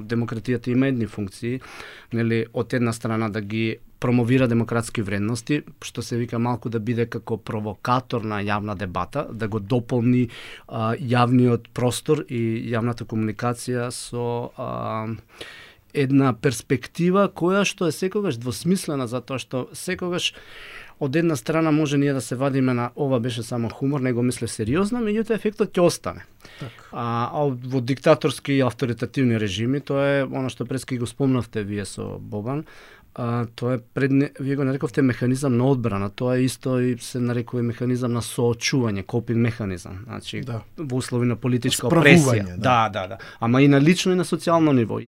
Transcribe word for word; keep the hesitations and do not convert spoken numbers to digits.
демократијата има едни функции, нели, од една страна да ги промовира демократски вредности, што се вика малку да биде како провокатор на јавна дебата, да го дополни а, јавниот простор и јавната комуникација со а, една перспектива која што е секогаш двосмислена, затоа што секогаш од една страна може ние да се вадиме на ова беше само хумор, него мисле сериозно, меѓутоа ефектот ќе остане. Так. А, а во диктаторски и авторитативни режими, тоа е она што прески го спомнавте вие со Бобан, а, тоа е пред, вие го нарековте механизам на одбрана, тоа е исто и се нарекува механизам на соочување, копинг механизам, значи да. Во услови на политичка опресија. Да. да, да, да. Ама и на лично и на социјално ниво.